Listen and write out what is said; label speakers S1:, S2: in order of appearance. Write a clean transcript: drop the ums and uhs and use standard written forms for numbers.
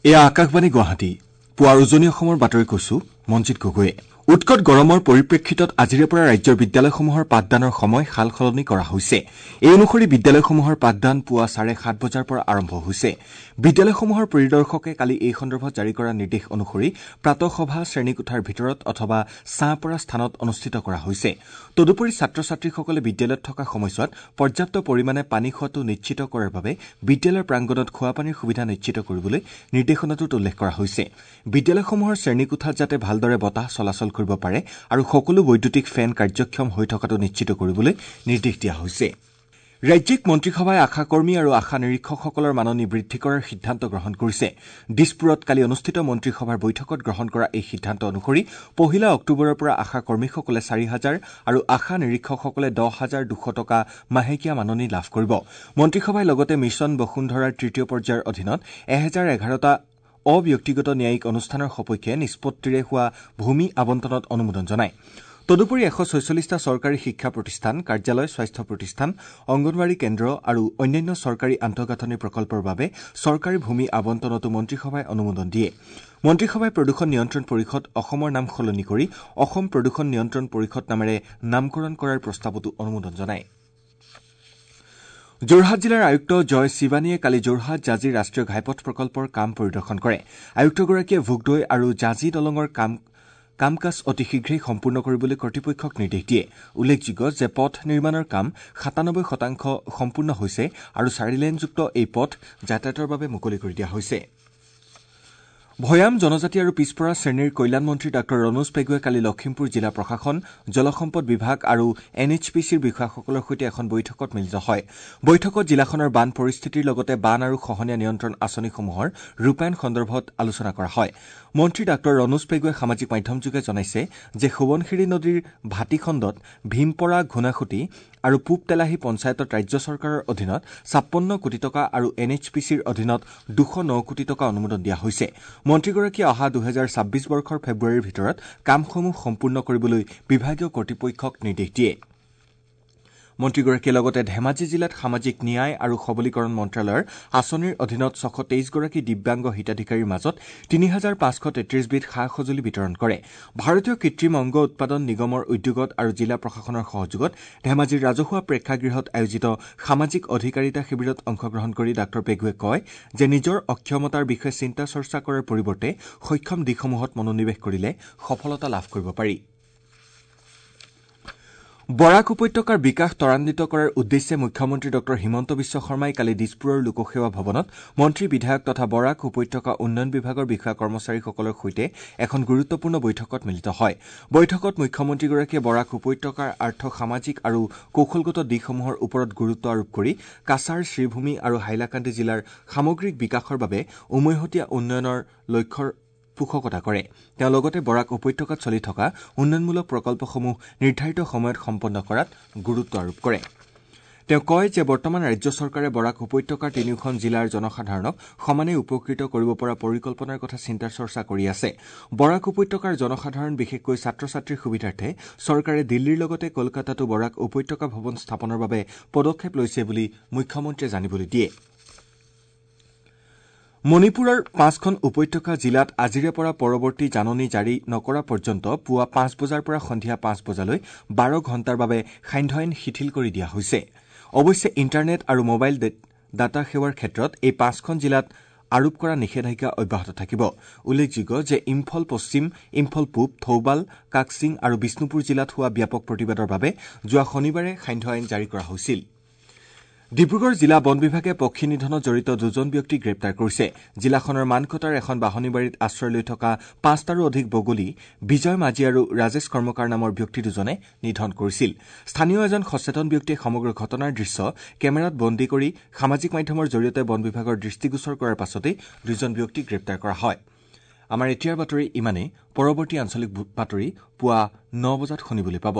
S1: এয়া আকাশবাণী গুৱাহাটী। পুৱাৰ উজনি অসমৰ বাতৰি কৈছো মঞ্জিত গগৈয়ে। উৎকট গৰমৰ পৰিপ্ৰেক্ষিতত আজিৰে পৰা ৰাজ্যৰ বিদ্যালয়সমূহৰ পাঠদানৰ সময় সাল সলনি কৰা হৈছে। এই অনুসৰি বিদ্যালয়সমূহৰ পাঠদান পুৱা 7:30 বজাৰ পৰা আৰম্ভ হৈছে। বিদ্যালয়সমূহৰ পৰিদৰ্শকে কালি এই সন্দৰ্ভত জাৰি কৰা নিৰ্দেশ অনুসৰি প্ৰাতঃসভা শ্ৰেণীকোঠাৰ ভিতৰত অথবা ছাঁ পৰা স্থানত অনুষ্ঠিত কৰা হৈছে। তদুপৰি ছাত্ৰ ছাত্ৰীসকলে বিদ্যালয়ত থকা সময়ছোৱাত পৰ্যাপ্ত পৰিমাণে পানী খোৱাটো নিশ্চিত কৰাৰ বাবে বিদ্যালয়ৰ প্ৰাংগণত খোৱাপানীৰ সুবিধা নিশ্চিত কৰিবলৈ নিৰ্দেশনাটোত উল্লেখ কৰা হৈছে। বিদ্যালয়সমূহৰ শ্ৰেণীকোঠাত যাতে ভালদৰে বতাহ চলাচল কৰিব পাৰে আৰু সকলো বৈদ্যুতিক ফেন কাৰ্যক্ষম হৈ থকাটো নিশ্চিত কৰিবলৈ নিৰ্দেশ দিয়া হৈছে। ৰাজ্যিক মন্ত্ৰীসভাই আশাকৰ্মী আৰু আশা নিৰীক্ষকসকলৰ মাননি বৃদ্ধি কৰাৰ সিদ্ধান্ত গ্ৰহণ কৰিছে। দিছপুৰত কালি অনুষ্ঠিত মন্ত্ৰীসভাৰ বৈঠকত গ্ৰহণ কৰা এই সিদ্ধান্ত অনুসৰি 1 অক্টোবৰৰ পৰা আশাকৰ্মীসকলে 4,000 আৰু আশা নিৰীক্ষকসকলে 10,200 টকা মাহেকীয়া মাননি লাভ কৰিব। মন্ত্ৰীসভাই লগতে মিছন বসুন্ধৰাৰ তৃতীয় পৰ্যায়ৰ অধীনত 1,011টা অব্যক্তিগত ন্যায়িক অনুষ্ঠানৰ সপক্ষে নিষ্পত্তিৰে হোৱা ভূমি আবণ্টনত অনুমোদন জনায়। তদুপৰি 146টা চৰকাৰী শিক্ষা প্ৰতিষ্ঠান, কাৰ্যালয়, স্বাস্থ্য প্ৰতিষ্ঠান, অংগনৱাড়ী কেন্দ্ৰ আৰু অন্যান্য চৰকাৰী আন্তঃগাঁথনি প্ৰকল্পৰ বাবে চৰকাৰী ভূমি আবণ্টনতো মন্ত্ৰীসভাই অনুমোদন দিয়ে। মন্ত্ৰীসভাই প্ৰদূষণ নিয়ন্ত্ৰণ পৰিষদ অসমৰ নাম সলনি কৰি অসম প্ৰদূষণ নিয়ন্ত্ৰণ পৰিষদ নামেৰে নামকৰণ কৰাৰ প্ৰস্তাৱতো অনুমোদন জনায়। যোৰহাট জিলাৰ আয়ুক্ত জয় শিৱানীয়ে কালি যোৰহাট জাঁজী ৰাষ্ট্ৰীয় ঘাইপথ প্ৰকল্পৰ কাম পৰিদৰ্শন কৰে। আয়ুক্তগৰাকীয়ে ভোগদৈ আৰু জাঁজী দলঙৰ কাম কাজ অতি শীঘ্ৰেই সম্পূৰ্ণ কৰিবলৈ কৰ্তৃপক্ষক নিৰ্দেশ দিয়ে। উল্লেখযোগ্য যে পথ নিৰ্মাণৰ কাম 97% সম্পূৰ্ণ হৈছে আৰু চাৰিলেনযুক্ত এই পথ যাতায়াতৰ বাবে মুকলি কৰি দিয়া হৈছে। ভৈয়াম জনজাতি আৰু পিছপৰা শ্ৰেণীৰ কল্যাণ মন্ত্ৰী ডাঃ ৰণোজ পেগুৱে কালি লখিমপুৰ জিলা প্ৰশাসন, জলসম্পদ বিভাগ আৰু এন এইচ পি চিৰ বিষয়াসকলৰ সৈতে এখন বৈঠকত মিলিত হয়। বৈঠকত জিলাখনৰ বান পৰিস্থিতিৰ লগতে বান আৰু খহনীয়া নিয়ন্ত্ৰণ আঁচনিসমূহৰ ৰূপায়ণ সন্দৰ্ভত আলোচনা কৰা হয়। মন্ত্ৰী ডাঃ ৰণোজ পেগুৱে সামাজিক মাধ্যমযোগে জনাইছে যে সোৱণশিৰি নদীৰ ভাটিখণ্ডত ভীমপৰা, ঘূণাসুঁতি আৰু পূব তেলাহী পঞ্চায়তত ৰাজ্য চৰকাৰৰ অধীনত 56 কোটি টকা আৰু এন এইচ পি চিৰ অধীনত 209 কোটি টকা অনুমোদন দিয়া হৈছে। মন্ত্ৰীগৰাকীয়ে অহা 2026 বৰ্ষৰ ফেব্ৰুৱাৰীৰ ভিতৰত কামসমূহ সম্পূৰ্ণ কৰিবলৈ বিভাগীয় কৰ্তৃপক্ষক নিৰ্দেশ দিয়ে। মন্ত্ৰীগৰাকীয়ে লগতে ধেমাজি জিলাত সামাজিক ন্যায় আৰু সবলীকৰণ মন্ত্ৰালয়ৰ আঁচনিৰ অধীনত 623গৰাকী দিব্যাংগ হিতাধিকাৰীৰ মাজত 3,533বিধ সা সঁজুলি বিতৰণ কৰে। ভাৰতীয় কৃত্ৰিম অংগ উৎপাদন নিগমৰ উদ্যোগত আৰু জিলা প্ৰশাসনৰ সহযোগত ধেমাজিৰ ৰাজহুৱা প্ৰেক্ষাগৃহত আয়োজিত সামাজিক অধিকাৰিতা শিবিৰত অংশগ্ৰহণ কৰি ডাঃ পেগুৱে কয় যে নিজৰ অক্ষমতাৰ বিষয়ে চিন্তা চৰ্চা কৰাৰ পৰিৱৰ্তে সক্ষম দিশসমূহত মনোনিৱেশ কৰিলে সফলতা লাভ কৰিব পাৰি। বৰাক উপত্যকাৰ বিকাশ ত্বৰান্বিত কৰাৰ উদ্দেশ্যে মুখ্যমন্ত্ৰী ডাঃ হিমন্ত বিশ্ব শৰ্মাই কালি দিছপুৰৰ লোকসেৱা ভৱনত মন্ত্ৰী, বিধায়ক তথা বৰাক উপত্যকা উন্নয়ন বিভাগৰ বিষয়া কৰ্মচাৰীসকলৰ সৈতে এখন গুৰুত্বপূৰ্ণ বৈঠকত মিলিত হয়। বৈঠকত মুখ্যমন্ত্ৰীগৰাকীয়ে বৰাক উপত্যকাৰ আৰ্থ সামাজিক আৰু কৌশলগত দিশসমূহৰ ওপৰত গুৰুত্ব আৰোপ কৰি কাছাৰ, শ্ৰীভূমি আৰু হাইলাকান্দি জিলাৰ সামগ্ৰিক বিকাশৰ বাবে উমৈহতীয়া উন্নয়নৰ লক্ষ্যৰ পোষকতা কৰে। তেওঁ লগতে বৰাক উপত্যকাত চলি থকা উন্নয়নমূলক প্ৰকল্পসমূহ নিৰ্ধাৰিত সময়ত সম্পন্ন কৰাত গুৰুত্ব আৰোপ কৰে। তেওঁ কয় যে বৰ্তমান ৰাজ্য চৰকাৰে বৰাক উপত্যকাৰ তিনিওখন জিলাৰ জনসাধাৰণক সমানে উপকৃত কৰিব পৰা পৰিকল্পনাৰ কথা চিন্তা চৰ্চা কৰি আছে। বৰাক উপত্যকাৰ জনসাধাৰণ, বিশেষকৈ ছাত্ৰ ছাত্ৰীৰ সুবিধাৰ্থে চৰকাৰে দিল্লীৰ লগতে কলকাতাতো বৰাক উপত্যকা ভৱন স্থাপনৰ বাবে পদক্ষেপ লৈছে বুলি মুখ্যমন্ত্ৰীয়ে জানিবলৈ দিয়ে। মণিপুৰৰ 5খন উপত্যকা জিলাত আজিৰে পৰা পৰৱৰ্তী জাননী জাৰি নকৰা পৰ্যন্ত পুৱা 5 বজাৰ পৰা সন্ধিয়া 5 বজালৈ 12 ঘণ্টাৰ বাবে সান্ধ্য আইন শিথিল কৰি দিয়া হৈছে। অৱশ্যে ইণ্টাৰনেট আৰু মোবাইল ডাটা সেৱাৰ ক্ষেত্ৰত এই 5খন জিলাত আৰোপ কৰা নিষেধাজ্ঞা অব্যাহত থাকিব। উল্লেখযোগ্য যে ইম্ফল পশ্চিম, ইম্ফল পূব, থৌবাল, কাকচিং আৰু বিষ্ণুপুৰ জিলাত হোৱা ব্যাপক প্ৰতিবাদৰ বাবে যোৱা শনিবাৰে সান্ধ্য আইন জাৰি কৰা হৈছিল। ডিব্ৰুগড় জিলা বন বিভাগে পক্ষী নিধনত জড়িত দুজন ব্যক্তিক গ্ৰেপ্তাৰ কৰিছে। জিলাখনৰ মানকটাৰ এখন বাঁহনিবাৰীত আশ্ৰয় লৈ থকা 5টাৰো অধিক বগলী বিজয় মাঝি আৰু ৰাজেশ কৰ্মকাৰ নামৰ ব্যক্তি দুজনে নিধন কৰিছিল। স্থানীয় এজন সচেতন ব্যক্তিয়ে সমগ্ৰ ঘটনাৰ দৃশ্য কেমেৰাত বন্দী কৰি সামাজিক মাধ্যমৰ জৰিয়তে বন বিভাগৰ দৃষ্টিগোচৰ কৰাৰ পাছতেই দুজন ব্যক্তিক গ্ৰেপ্তাৰ কৰা হয়। আমাৰ এতিয়াৰ বাতৰি ইমানেই। পৰৱৰ্তী আঞ্চলিক বাতৰি পুৱা 9 বজাত শুনিবলৈ পাব।